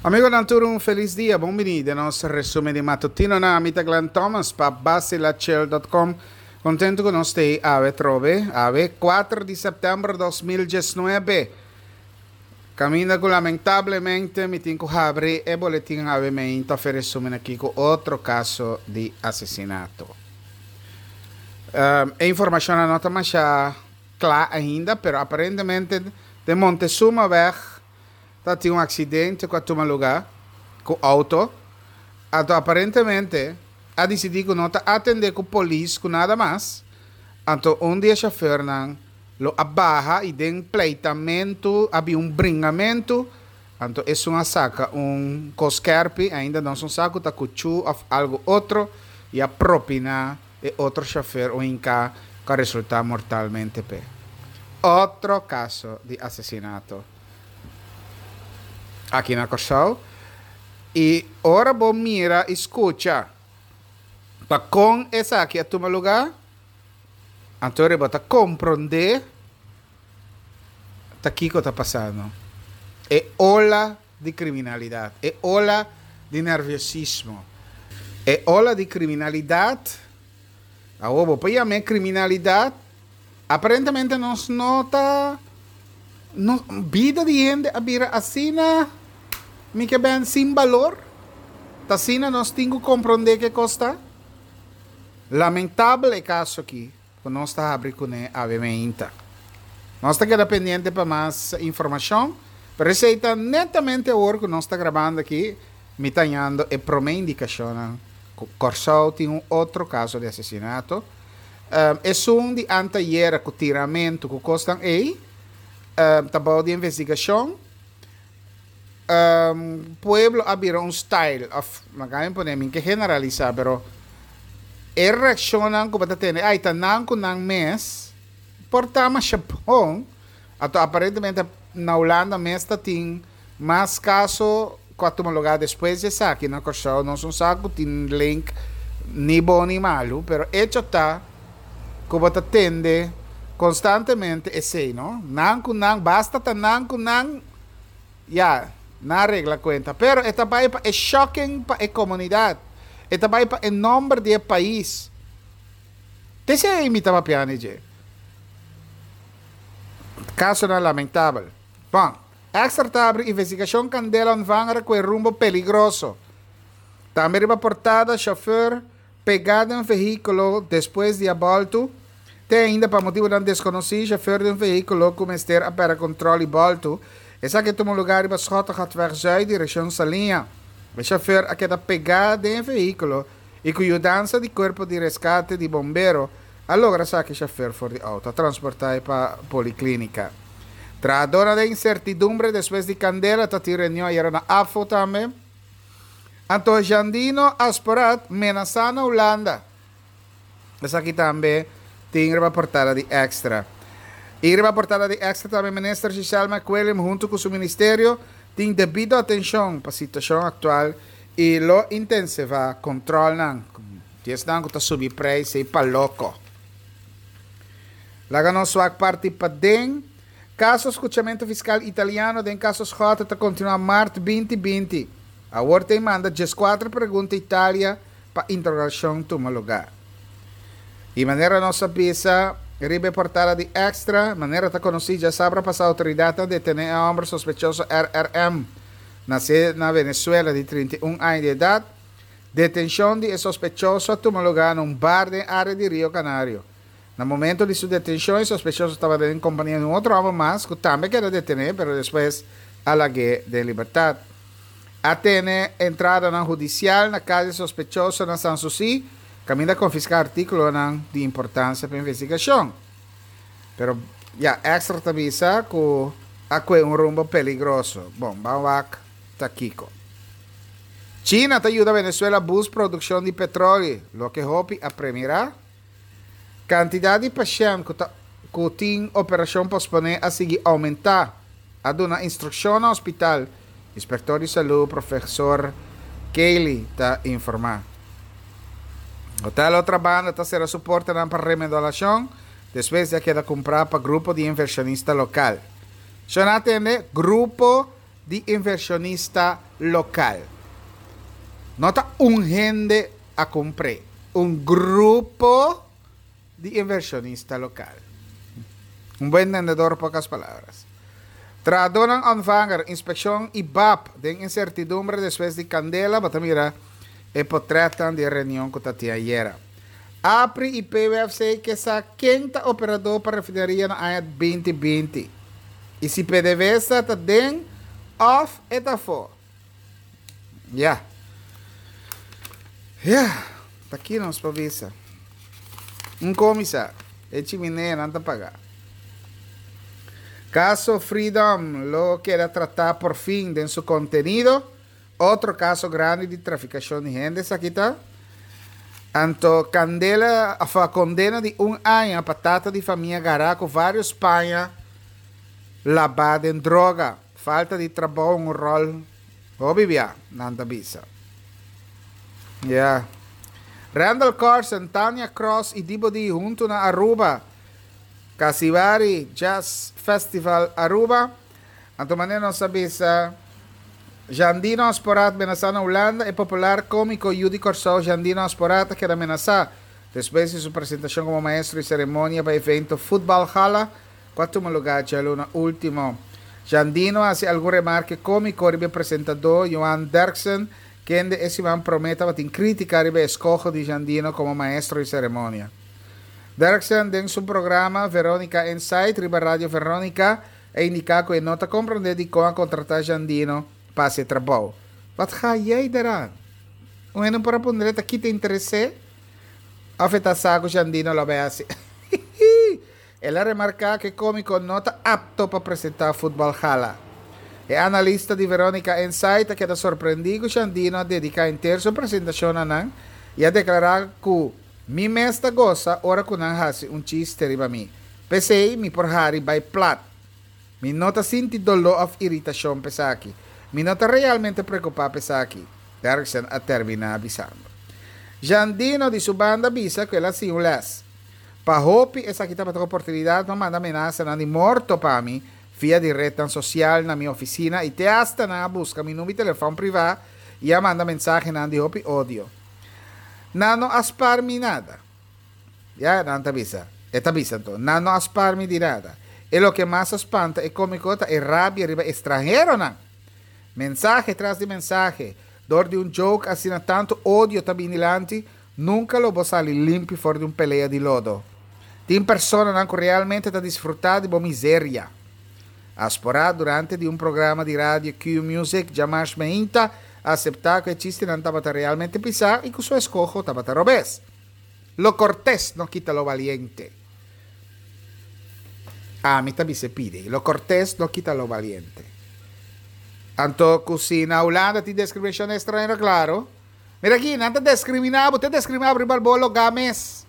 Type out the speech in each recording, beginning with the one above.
Amigonan tur un felis dia, bon bini den nos resumen di matutinonan. Ami ta Glenn Thomas pa Basilachel.com. Contento cu nos t'ey awe trobe, awe 4 di september 2019. Caminda cu lamentablemente mi tin cu habri e boletin awe meinta of e resumen aki cu otro caso di asesinato. E informacionnan no ta masha cla ainda, pero aparentemente den Montezumaweg ta tin un accidente cu a tuma lugar cu auto, anto aparentemente a dicidi cu no ta atende cu polis cu nada mas, anto un di e chauffeurnan lo a baha y den pleitamento a bin un bringamento, anto esun a saca un cos skerpi, ainda nos no sa cu ta cuchu of algo otro, y a propina e otro chauffeur un hinca cu a resulta mortalmente p'e. Otro caso di asesinato aki na Corsou y ora bo mira y scucha pa con esaki a tuma lugar, anto bo ta comprende ta kico ta pasando. E ola di kriminalidat, e ola di nerviosismo, e ola di kriminalidat, awor bo por yam'é kriminalidat, aparentemente nos no ta, no, bida di hende a bira asina, mi ke ben, sin balor, ta asina nos tin ku komprondé ke kos ta. Lamentabel e kaso aki. Ku nos ta habri kuné awe meinta. Nos ta keda pendiente pa mas informashon, pero esei ta netamente awor ku nos ta grabando aki, mi ta hañando e promé indikashonnan ku Kòrsou tin un otro kaso di asesinato. Esun di antayera ku tiramentu ku kosnan ei ta bou di investigashon. Pueblo a bira un style of laga mi pone mi ke generalisa pero e reaccionnan cu bo ta tene ay ta nan cu nan mes por ta masha bon anto aparentemente na Hulanda mes ta tin mas caso cu a tuma lugar despues di esaki na Corsou nos no sa cu tin link ni bon ni malu pero hecho ta cu bo ta tende constantemente esey no nan cu nan basta ta nan cu nan. Ya, nan a regla cuenta. Pero e ta bay pa e shocking pa e comunidad. E ta bay pa e nomber di e pais. T'esey mi ta papia ni dje. Casonan lamentabel. Bon, Extra ta abri investigacion candela ontvanger cu e rumbo peligroso. Tambe riba portada chauffeur Pegá den vehíkulo despues di a bòltu, Te ainda pa motibunan deskonosí, shofèr di un vehíkulo ku mester a pèrdè kontròl i bòltu. Esaki a tuma lugá riba Schottegatweg Zuid direkshon Saliña. E shofèr a keda pegá den e vehíkulo i ku yudansa di kuerpo di reskate di bombero a logra saka e shofèr for di outo. A transportá e pa poliklínika. Trahadónan den insertidumbre despues di kandela ta tin reunion ayera na AFO tambe. Anto Jandino Asporaat menasá na Hulanda. Esaki tambe tin riba portada di Extra. I riba portada di Extra tambe Minister Giselle McWilliam huntu ku su ministerio tin debido atenshon pa situashon aktual i lo intensivá kontrolnan. Di esnan ku ta subi preis ei pa loko. Laga nos wak parti paden. Kaso skuchamentu fiskal italiano den kaso Schotte ta kontinuá mart 2020. Awor ta e manda dieskuater pregunta Italia pa interogashon tuma lugá. I manera nos a bisa riba e portada di Extra, manera ta konosí djasabra pasá outoridatnan detené e hòmber sospechoso RRM, nasé na Venezuela di 31 aña di edat. Detenshon di e sospechoso a tuma lugá na un bar den área di Rio Canario. Na momento di su detencion e sospechoso tabata den compania di un otro homber mas cu tambe a keda detene pero despues a lag'e den libertad. A tene entradanan hudicial na cas di e sospechoso na San Susi caminda a confisca articulonan di importancia pa investigacion. Pero ya Extra ta bisa cu a cue un rumbo peligroso. Bon, ban wak ta kico. China ta yuda Venezuela boost produccion di petroli, loke hopi a premira. Kantidat di pashènt ku ta ku tin operashon posponé a sigui oumentá. A duna instrukshon na hospital, Inspektor di Salú Profesor Cayley ta informá. Hotel Otra Banda ta sera su portanan pa remodalashon despues di a keda kumprá pa grupo di invershonista lokal. Shon a atende, Grupo. di inversionista local. No ta un hende a cumpr'e, un grupo di inversionista local. Un buen entendedor pocas palabras. Trahadornan ontvanger, inspeccion y bap den incertidumbre despues di candela, bo ta mira e potretnan di e reunion cu ta tin ayera. APRI y PWFC ke sa ken ta operador pa refineria na aña 2020 y si PDVSA ta den of e ta afo. Ya. Ya. Ta ki nos por bisa. Un komisa. E chimeneanan ta paga. Kaso Freedom lo keda tratá por fin den su kontenido. Otro kaso grandi di trafikashon di hende esaki ta. Anto kandela òf kondena di un aña pa tata di famia gará ku vários paña labá den droga. Falta di trabou un ròl hopi bia, nan ta bisa. Ya. Randal Corsen, Tania Kross y Dibo Dee hunto na Aruba. Casibari Jazz Festival Aruba. Anto manera nos a bisa, Jandino Asporaat menasá na Hulanda E popular kómiko yu di Kòrsou Jandino Asporaat a keda menasá despues di su presentashon komo maestro di seremonia pa evento Futbal Gala ku a tuma lugá djaluna último. Jandino a hasi algun remarke kómiko riba e presentadó Johan Derksen, kende e siman promé tabatin krítika riba e eskoho di Jandino komo maestro di seremonia. Derksen den su programa Veronica Inside riba Radio Veronica a indiká ku e no ta komprondé dikon a kontratá Jandino pa hasi e trabou. Wat ga jij deraan? Un hende por a puntra ta kita interes'é òf e ta sa ku Jandino lo bai hasi. El a remarká ku e kómiko no ta apto pa presentá Futbòl Gala. E analista di Veronica Inside a keda sorprendí ku Jandino a dediká henter su presentashon na nan i a deklará ku Mi mes ta gosa ora ku nan hasi un chiste riba mi. P'esei mi por hari bai plat. Mi no ta sinti doló òf iritashon p'esaki. Mi no ta realmente preokupá p'esaki, Derksen a terminá bisando. Jandino di su banda a bisa ku el a siña un lès. Pa hopi esaki tabata un oportunidat pa manda menasanan di morto pa mi via di retnan sosial na mi ofisina i te asta nan a buska mi number di telefòn privá i a manda mensahenan di hopi odio. Nan no a spar mi nada. Ya, nan ta bisa. E ta bisa anto, Nan no a spar mi di nada. E loke mas a spanta e kómiko ta e rabia riba e stranheronan. Mensahe tras di mensahe, dor di un joke asina tantu odio ta bini dilanti, nunka lo bo sali limpi for di un pelea di lodo. Tin personanan ku realmente ta disfrutá di bo miseria. Asporá durante di un programa di radio Q-Music djamars meinta, a aseptá ku e chistenan tabata realmente pisá i ku su eskoho tabata robes. Lo cortés no quita lo valiente. Ami ta bisa e pidi. Lo cortés no quita lo valiente. Anto ku si na Hulanda tin discriminacion di estranhero, claro. Mira aki, nan ta discriminá bo, ta discriminá bo riba bo lugá mes.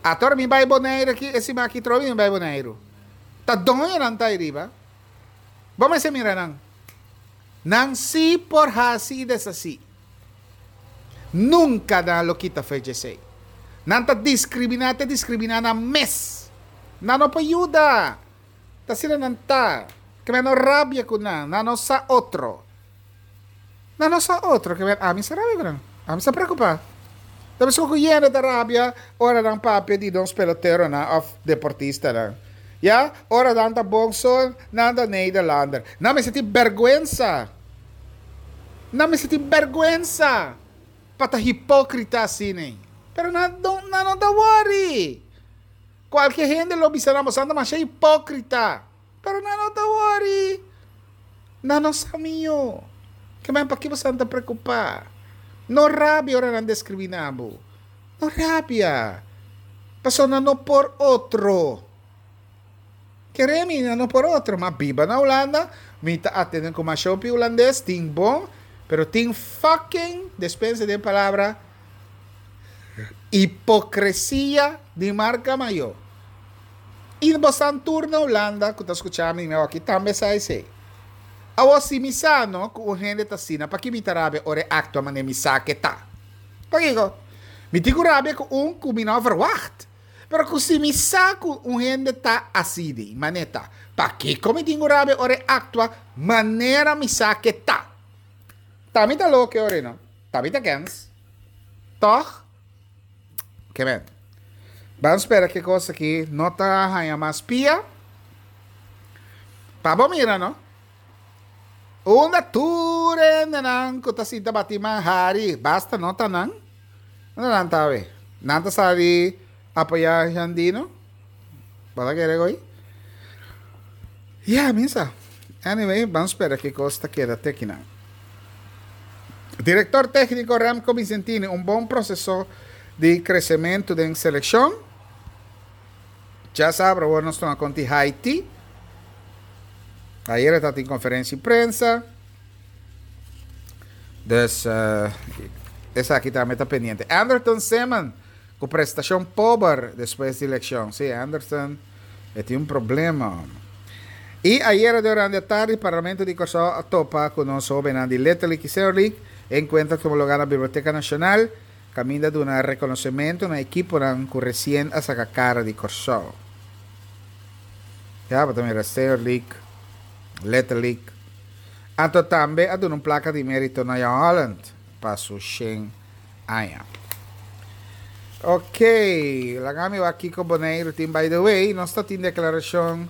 Ato ora mi bai Boneiru aki, e siman aki trobe mi bai Boneiru. Ta doño nan ta ariba. Bo mester mira nan. Nan sí por hasi i deshasí. Nunka nan lo kita fe djesei. Nan ta diskriminá te diskriminá nan mes. Nan no por yuda. Ta asina nan ta. Ke men no rabia ku nan. Nan no sa otro. Nan no sa otro. Ke men ami sa rabia ku nan. Ami sa preokupá. Ta meskos ku yende ta rabia ora nan papia di nos peloteronan òf deportistanan. Ya, ora nan ta bon so nan ta Nederlander. Nan mester tin bèrgwensa. Nan mester tin bèrgwensa pa ta hipókrita asina. Pero nan no nan no ta wòri. Kualke hende lo bisa nan boso ta masha hipókrita. Pero nan no ta wòri. Nan no sa mihó. Ke men paki boso ta preokupá? No rabia ora nan deskriminá bo. No rabia. Pasobra nan no por otro. Kere mi nan no por otro. Ma biba na Hulanda, mi ta atende ku masha hopi hulandes, tin bon, pero tin fucking, despensa den palabra, hipocresia di marca mayor. I bosan tur na Hulanda ku ta skucha mi, mi awor aki tambe sa esei. Awor si mi sa no ku un hende ta asina, paki mi ta rabia ora e aktua manera mi sa ke ta? Pakiko? Mi tin ku rabia ku un ku mi no a verwacht. Pero ku si mi sa ku un hende ta asina, manera ta, pakiko mi tin ku rabia ora e aktua manera mi sa ku e ta? Ta mi ta loke ora no? Ta mi ta kens? Tòg? Ke men. Ban spera ku e kos aki no ta haña mas pia. Pa bo mira no. Unda tur hendenan ku ta sinta bati man hari, basta no ta nan. Unda nan ta awe? Nan ta sali apoyá Jandino? Bo ta kere ko'i? Ya, mi sa. Anyway, ban spera ki kos ta keda te kinan. Direktor tékniko Remco Vicentini, un bon proseso di kresementu den selekshon. Djasabra awor nos tuma konta di Haiti. Ayer e tatin konferensia di prensa. Dus esaki tambe ta pendiente. Anderton Seman ku prestashon pober despues di elekshon. Si, Anderton e tin un problema. I ayera durante atardi Parlamento di Kòrsou a topa ku nos hóbennan di Little League i Senior League. E enkuentro a tuma lugá na Biblioteka Nashonal. Kaminda duna rekonosementu na ekiponan ku resien a saka kara di Kòrsou. Ya bo ta mira Senior League, Little League. Anto tambe a duna un plaka di merito na Jan Holland pa su shen aña. Ok, laga mi wak kiko Boneiru tin. By the way, nos ta tin deklarashon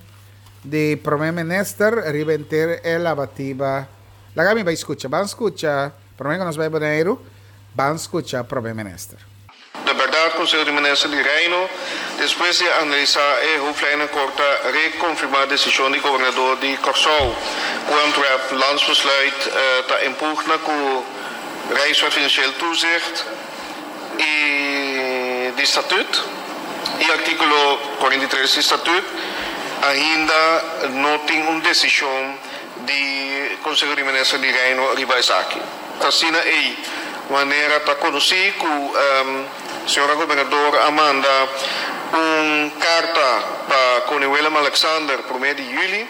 di Prome Minister riba henter e labatiba. Laga mi bai skucha. Ban skucha, prome ku nos bai Boneiru. Ban skucha Prome Minister. Ta bèrdat, Konseho di Minister di Reino, despues di a analisá e hoofdlijnenakkoord ta rekonfirmá desishon di Gobernador di Kòrsou ku Antwerp Landsbesluit ta en pugna ku Rijkswet Financieel Toezicht i di Statuut i artíkulo 43 di Statuut ainda no tin un desishon di Konseho di Minister di Reino riba esaki. Ta asina ei manera ta konosí ku señora Gobernador a manda un karta pa Koning Willem Alexander promé di yüli.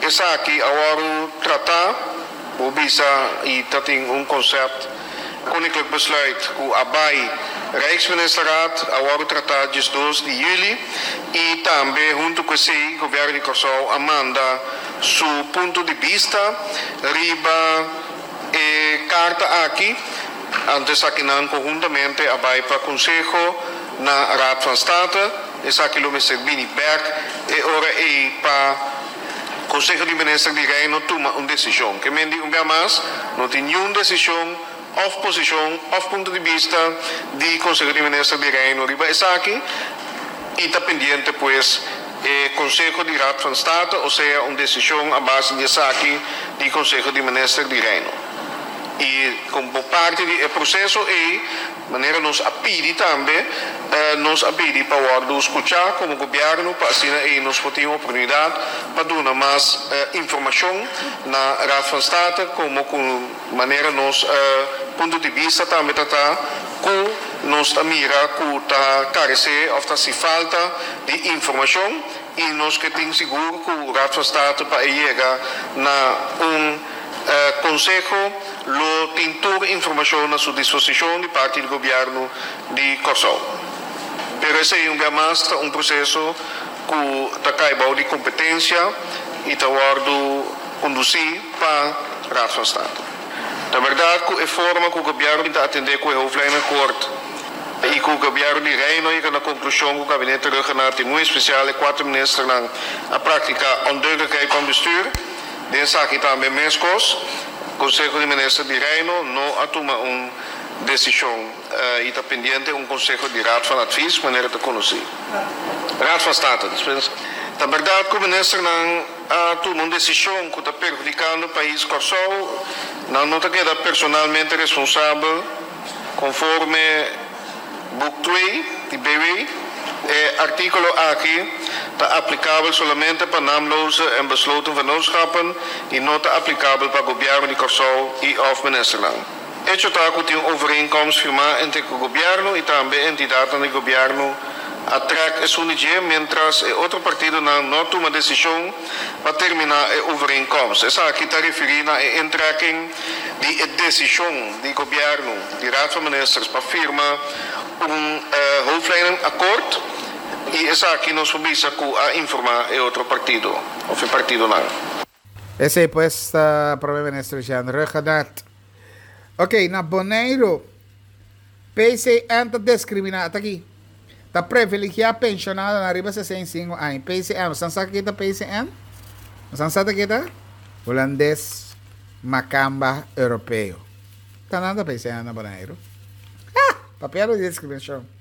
Esaki a wòrdu tratá, bo bisa i ta tin un konsèpt Koninklijk Besluit ku a bai Rijksministerraad a wòrdu tratá diesdos di yüli i tambe huntu ku esei Gobièrnu di Kòrsou a manda su punto di bista riba e karta aki. Anto esakinan konhuntamente a bai pa konseho na Raad van State. Esaki lo mester bini bèk e ora ei pa Konseho di Minister di Reino tuma un desishon. Ke men di un bia mas, no tin niun desishon òf posishon òf punto di bista di Konseho di Minister di Reino riba esaki i ta pendiente pues e Konseho di Raad van State, osea un desishon a base di esaki di Konseho di Minister di Reino. I komo parti di e proseso ei, Manera nos a pidi tambe, nos a pidi pa wòrdu skuchá komo gobièrnu pa asina ei nos por tin oportunidat pa duna mas informashon na Raad van State komo ku manera nos punto di bista tambe ta ta ku nos ta mira ku ta karesé òf ta hasi falta di informashon i nos ke tin sigur ku Raad van State pa e yega na un Konseho lo tin tur informashon na su disposishon di parti di gobièrnu di Kòrsou. Pero esei un bia mas ta un proseso ku ta kai bou di kompetensia i ta wòrdu kondusí pa Raad van State. Ta bèrdat ku e forma ku gobièrnu ta atendé ku e hoofdlijnenakkoord i ku gobièrnu di Reino a yega na konklushon ku Gabinete Rhuggenaath i muy espesial e kuater ministernan a praktiká ondeugdelijkheid van bestuur, Den esaki tambe meskos, Konseho di Minister di Reino no a tuma un desishon i ta pendiente un konseho di Raad van Advies manera ta konosí. Raad van State, dispensa. Ta bèrdat ku ministernan a tuma un desishon ku ta perhudikando pais Kòrsou, nan no ta keda personalmente responsabel konforme. Boek twee di BW, E artíkulo aki ta aplikabel solamente pa naamloze en besloten vennootschappen i no ta aplikabel pa Gobièrnu di Kòrsou i òf ministernan. Echo ta ku tin un overeenkomst firmá entre ku gobièrnu i tambe entidatnan di gobièrnu a trèk esun di dje miéntras e otro partidonan no a tuma desishon pa terminá e overeenkomst. Esaki ta referí na e intrekking di e desishon di gobièrnu. Di Raad van Ministers pa firma un hoofdlijnenakkoord. I esaki nos por bisa ku a informá e otro partido òf e partidonan. Esei pues ta Prome Minister Jean Rhuggenaath. Ok, na Boneiru, PCN ta diskriminá, ata aki, ta privilegiá penshonadonan riba 65 aña. PCN, bosan sa kiko ta PCN? Bosan sa ta kiko ta? Hulandes Makamba Europeo. Ta nan ta PCN na Boneiru. Ha! Papia di diskriminashon.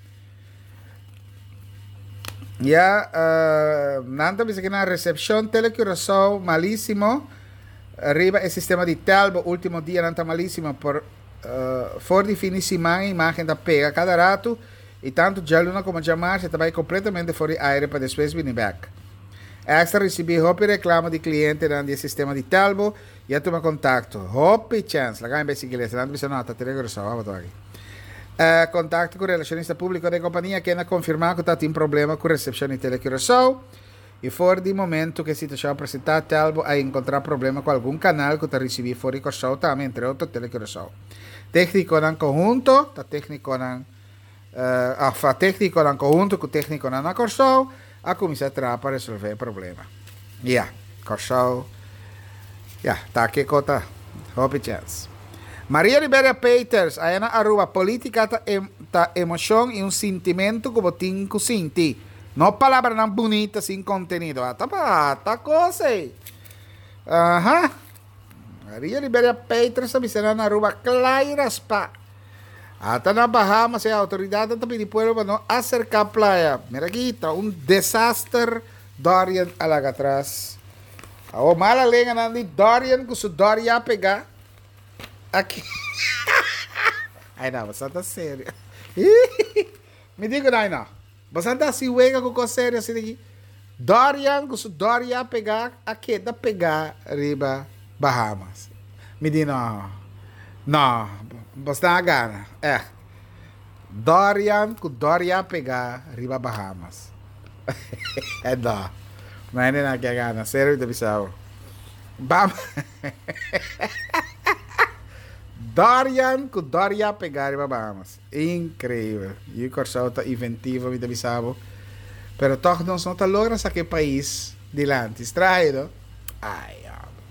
Ya, nan ta bisa ki nan resepshon Tele Curaçao malísimo riba e sistema di Telbo último dianan ta malísimo por For di fin di siman e imagen ta pega kada ratu i tantu djaluna komo djamars e ta bai kompletamente for di aire pa despues bini bek. Extra risibí hopi reklamo di klientenan di e sistema di Telbo i a tuma kontakto. Hopi chèns! Laga mi bai sigui lesa. Nan ta bisa no, ta tene Curaçao abo ta aki. Kontakto ku relashonista públiko den kompania kende a konfirmá ku ta tin problema ku resepshon di Tele Curaçao. I for di momento ku e situashon a presentá, Telbo a enkontrá problema ku algun kanal ku ta risibí for di Kòrsou tambe, entre otro Tele Curaçao. Téknikonan konhunto ta téknikonan òf a téknikonan konhunto ku téknikonan na Kòrsou a kuminsá traha pa resolvé e problema. Ya, Kòrsou, ya, ta kiko ta. Hopi chèns. Maria Liberia Peters, aya na Aruba, Polítika ta ta emoshon i un sintimentu ku bo tin ku sinti. No palabranan bunita sin kontenido. Ata pa ata kos ei. Aha. Maria Liberia Peters a bisa nan na Aruba kla i raspa. Ata na Bahamas e outoridatnan ta pidi pueblo pa no aserká playa. Mira aki ta un desaster Dorian a laga atras. Awor mala lenganan di Dorian ku su Doria pegá. Aki. Ai no, boso ta serio. Mi di ku nan no. Boso ta hasi wega ku kos serio asina aki? Dorian ku su Doria pegá a keda pegá riba Bahamas. Mi di no, no, boso ta gana, ègt. Dorian ku Doria pegá riba Bahamas. No, no hende nan ke gana, serio mi ta bisa bo. Bam Dorian ku Doria pegá riba Bahamas. Increibel. Yu Kòrsou ta inventivo mi ta bisa bo. Pero tòg nos no ta logra saka e pais dilanti. Straño no? Ay hombre.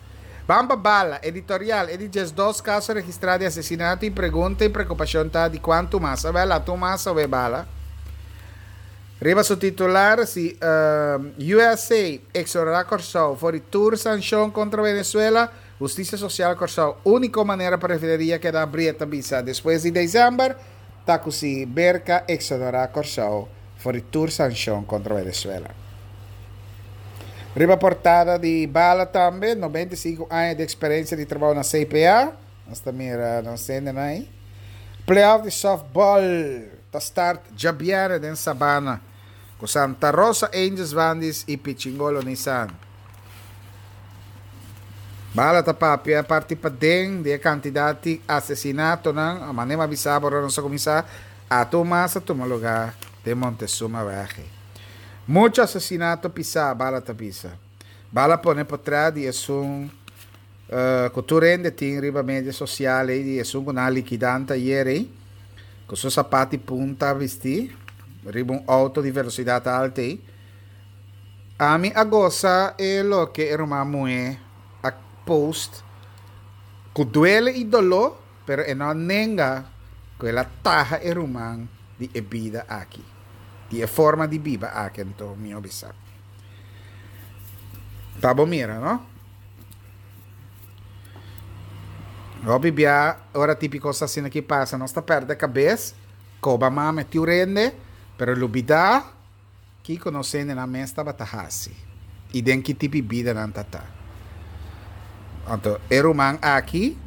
Ban pa bala. Editorial, E di diesdos kaso registrá di asesinato i pregunta i preokupashon ta di kuantu mas. Awel a tuma mas awe bala. Riba su titular si USA exonerá Kòrsou for di tur sanshon kontra Venezuela. Hustisia Sosial Kòrsou, úniko manera pa refineria keda abrí e ta bisa despues di desèmber ta ku si Merka eksonerá Kòrsou for di tur sanshon kontra Venezuela. Riba portada di Bala tambe, 95 aña di eksperensia di trabou na CPA, nos ta mira nos hendenan ei. Playoff di sòftbòl ta start djabièrnè den Sabana ku Santa Rosa Angels Vandis i Pichingolo Nissan. Bala ta papia parti paden di e kantidat di asesinatonan, a manera mi a bisa bo ora nos a kuminsá, ato mas a tuma lugá den Montezuma Wèg. Muchu asesinato pisá, Bala ta bisa. Bala pone potrèt di esun ku tur hende tin riba media sosial ei, di esun ku nan a likidá anteayer ei, ku su sapat di punta bistí riba un outo di velosidat altu ei. Ami a gosa e loke e ruman muhé a post ku duele i doló, pero e no a nenga ku el a taha e ruman di e bida aki, di e forma di biba aki, anto mi a bisa. Ta bo mira, no? Hopi bia ora típiko asina ki pasa, nos ta pèrdè kabes, koba mame tiu rende, pero lubidá. Kiko nos hendenan mes tabata hasi i den ki tipi bida nan ta ta? Anto e ruman aki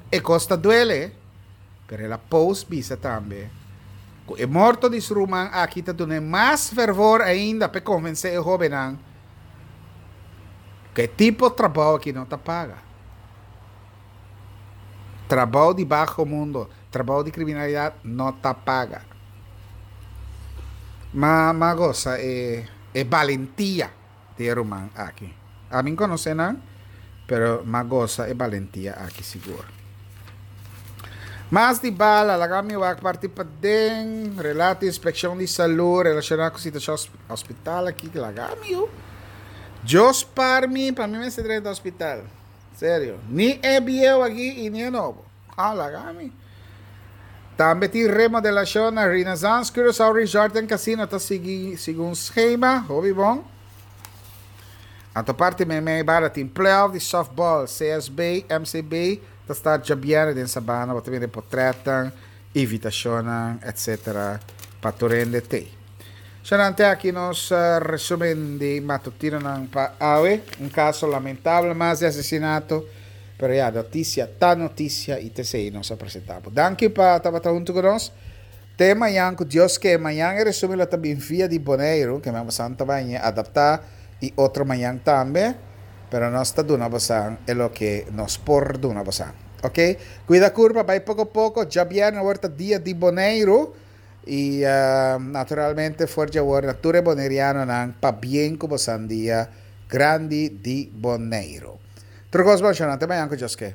e kos ta duele, pero el a post bisa tambe ku e morto di su ruman aki ta dun'é mas fervor ainda p'e konvensé e hóbennan ku e tipo trabou aki no ta paga. Trabou di baho mundo, trabou di kriminalidat no ta paga. Ma m'a gosa e e balentia di e ruman aki. Ami n'konosé nan, pero m'a gosa e balentia aki sigur. Mas di bala, laga mi wak parti paden, relato inspekshon di salú relashoná ku situashon hospital aki, laga mi yu. Dios par mi pa mi mester drenta hospital. Serio. Ni e bieu aki i ni e nobo. Ah, laga mi. Tambe tin remodelashon na Renaissance Curaçao Resort and Casino ta sigui segun schema. Hopi bon. Anto parti meimei bala tin playoff di softball CSB, MCB ta start djabièrnè den Sabana. Bo ta mira e potretnan, invitashonnan etc. Pa tur hende tei. Shanante aki nos resumen di matutinonan pa awe. Un kaso lamentabel mas di asesinato. Pero ya, notisia ta notisia i t'esei nos a presentá bo. Danki pa tabata huntu ku nos. Te mañan ku Dios ke. Mañan e resumen lo ta bin via di Boneiru, ke men bosan ta bai ñe adaptá i otro mañan tambe. Pero nos ta duna bosan e loke nos por duna bosan. Oke? Kuida kurpa, bai poko poko. Djabièrnè awor ta dia di Boneiru. I naturalmente for dje awor na tur e bonerianonan pabien ku bosan dia grandi di Boneiru. Tur kos bon, shonnan. Te mañan ku Dios ke.